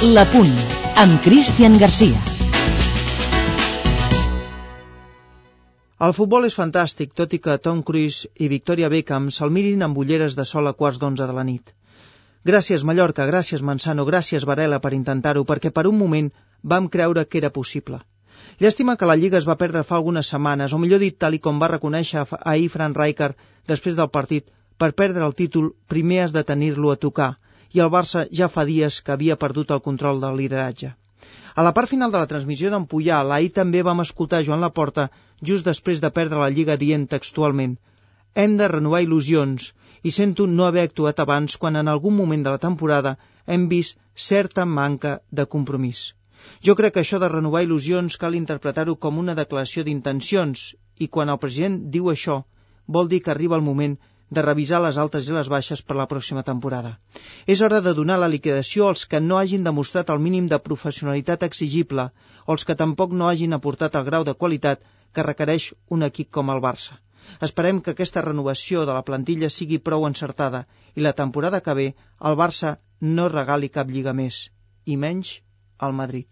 La Punt, amb Cristian Garcia. El futbol és fantàstic, tot i que Tom Cruise i Victoria Beckham se'l mirin amb ulleres de sol a 11:15 de la nit. Gràcies Mallorca, gràcies Manzano, gràcies Varela per intentar-ho, perquè per un moment vam creure que era possible. Llàstima que la Lliga es va perdre fa algunes setmanes, o millor dit, tal i com va reconèixer ahir Frank Rijkaard després del partit, per perdre el títol primer has de tenir-lo a tocar, i el Barça ja fa dies que havia perdut el control del lideratge. A la part final de la transmissió d'en Puyal, ahir també vam escoltar Joan Laporta just després de perdre la Lliga dient textualment: hem de renovar il·lusions, i sento no haver actuat abans quan en algun moment de la temporada hem vist certa manca de compromís. Jo crec que això de renovar il·lusions cal interpretar-ho com una declaració d'intencions, i quan el president diu això, vol dir que arriba el moment de revisar les altes i les baixes per la pròxima temporada. És hora de donar la liquidació als que no hagin demostrat el mínim de professionalitat exigible o els que tampoc no hagin aportat el grau de qualitat que requereix un equip com el Barça. Esperem que aquesta renovació de la plantilla sigui prou encertada i la temporada que ve el Barça no regali cap lliga més, i menys al Madrid.